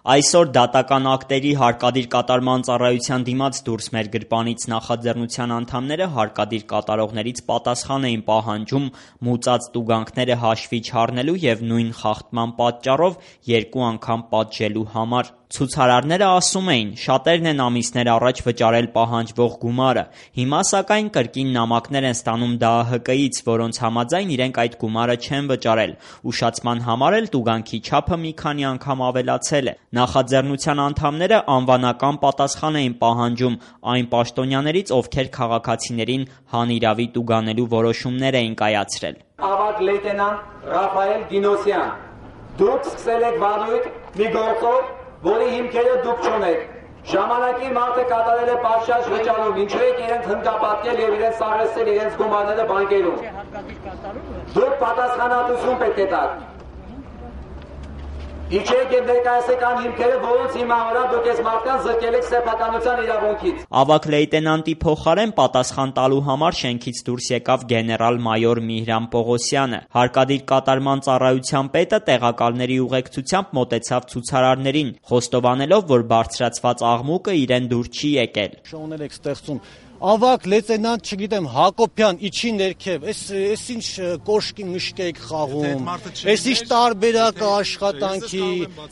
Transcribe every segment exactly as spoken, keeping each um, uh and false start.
Այսօր դատական ակտերի հարկադիր կատարման ծառայության դիմաց դուրս մեր գրպանից նախաձեռնության անդամները հարկադիր կատարողներից պատասխան էին պահանջում մուծած տուգանքները հաշվի չառնելու և նույն խախտման պատճառով երկու անգամ պատժելու համար։ Ցուցարարները ասում էին՝ շատերն են ամիսներ առաջ վճարել պահանջվող գումարը, հիմա սակայն կրկին նամակներ են ստանում Դա Ա Հ Կ-ից, որոնց համաձայն իրենք այդ գումարը չեն վճարել։ Ուշացման համար էլ տուգանքի չափը մի քանի անգամ ավելացել է։ Նախաձեռնության անդամները անվանական պատասխան էին պահանջում այն պաշտոնյաներից, ովքեր քաղաքացիներին հանիրավի տուգանելու որոշումներ էին կայացրել։ Ավագ լեյտենանտ Ռաֆայել Դինոսյան, դուք սկսել եք վարույթ մի գործով, որի հիմքերը դուք չունեք։ Ժամանակի մարդը կատարել է պատշաճ վճարում, ինչու եք իրենց հնկապատկել և իրենց սարսել իրենց գումարները բանկերում։ Դուք պատասխանատվություն պետք է տաք։ Իջեք և ներկայացեք այն հիմքերը, որոնց հիման վրա դուք այս մարդկանց զրկել եք սեփականության իրավունքից։ Ավագ լեյտենանտի փոխարեն պատասխան տալու համար շենքից դուրս եկավ գեներալ-մայոր Միհրան Պողոսյանը։ Հարկադիր կատարման ծառայության պետը տեղակալների ուղեկցությամբ մոտեցավ ցուցարարներին, խոստովանելով, որ բարձրացված աղմուկը իրեն դուր չի եկել։ Շոուներ եք ստեղծում Ավակ լեյտենանտ, չգիտեմ, Հակոբյան, իջի ներքև, այս ինչ կոշկի մշկ եք խաղում, այս ինչ տարբերակ աշխատանքի,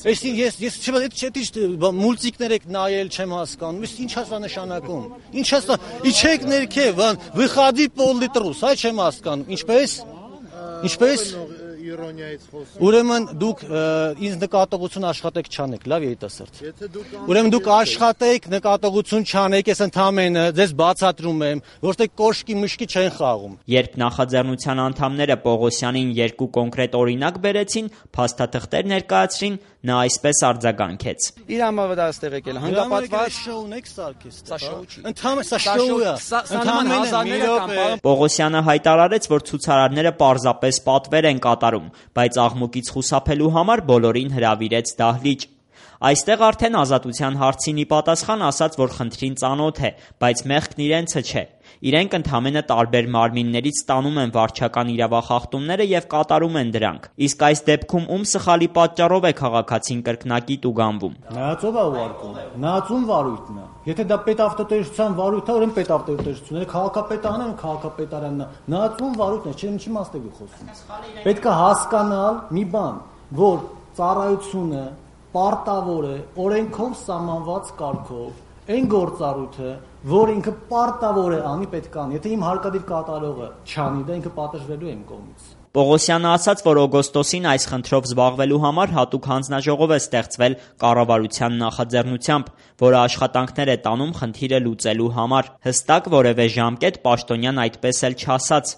այս ես ես չեմ մուլտիկներ եք նայել, չեմ հասկանում, այս ինչ է նշանակում, ինչ է, իջեք ներքև, выходи пол-լիտրուս, այ չեմ հասկանում, ինչպես, ինչպես Ուրեմն դուք ինձ նկատողություն աշխատեք չանեք, լավ երիտասարդ։ Ուրեմն դուք աշխատեք, նկատողություն չանեք, ես ընդամենը ձեզ բացատրում եմ, որտեղ կոշկի մշկի չեն խաղում։ Երբ նախաձեռնության անդամները Պողոսյանին երկու կոնկրետ օրինակ բերեցին, փաստաթղթեր ներկայացրին, նա այսպես արձագանքեց։ Իր համավարակը ստեղ եկել, հանգապատված շոուն եք սարքես։ Սա շոու չի։ Ընդհանրապես սա շոու է։ Ընդհանրապես Պողոսյանը հայտարարեց, որ ցուցարարները պարզապես պատվեր են կատարում, բայց աղմուկից խուսափելու համար բոլորին հրավիրեց դահլիճ։ Այստեղ արդեն Ազատության հարցին ի պատասխան ասաց, որ խնդրին ծանոթ է, բայց մեղքն իրենցը չէ։ Իրենք ընդամենը տարբեր մարմիններից ստանում են վարչական իրավախախտումները և կատարում են դրանք։ Իսկ այս դեպքում ում սխալի պատճառով է քաղաքացին կրկնակի տուգանվում։ Նայած ով է ուղարկում։ Նայած ում վարույթն է։ Եթե դա պետավտոտեսության վարույթ է, ուրեմն պետավտոտեսությունները քաղաքապետարանն է, քաղաքապետարանն է։ Նայած ում վարույթն է, չէ՞ ինչի մաս եք խոսում։ Պետք է հասկանալ մի բան, որ ծառայությունը պարտավոր է օրենքով սահմանված կարգով այն գործառույթը, որ ինքը պարտավոր է անի, պետք է անի։ Եթե իմ հարկադիր կատարողը չանի, դա ինքը պատժվելու է իմ կողմից։ Պողոսյանը ասաց, որ օգոստոսին այս խնդրով զբաղվելու համար հատուկ հանձնաժողով է ստեղծվել կառավարության նախաձեռնությամբ, որը աշխատանքներ է տանում խնդիրը լուծելու համար։ Հստակ որևէ ժամկետ պաշտոնյան այդպես էլ չասաց։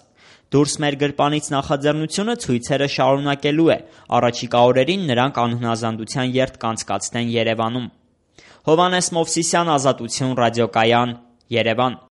Դուրս մեր գրպանից նախաձեռնությունը ցույցերը շարունակելու է։ Առաջիկա օրերին նրանք անհնազանդության երթ կանցկացնեն Երևանում։ Հովհաննես Մովսիսյան, Ազատություն ռադիոկայան, Երևան։